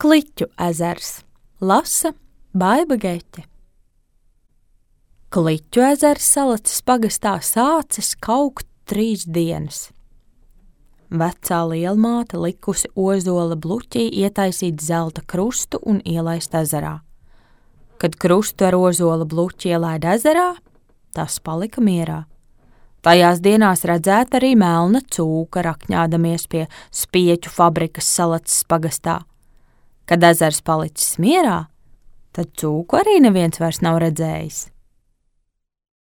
Kliķu ezers. Lasa Baiba Geķe. Kliķu ezers Salacas pagastā sācis kaukt 3 dienas. Vecā lielmāte likusi ozola bluķī ietaisīt zelta krustu un ielaist ezerā. Kad krustu ar ozola bluķi ielaid ezerā, tas palika mierā. Tajās dienās redzēt arī melna cūka rakņādamies pie spieķu fabrikas Salacas pagastā. Kad ezers palicis mierā, tad cūku arī neviens vairs nav redzējis.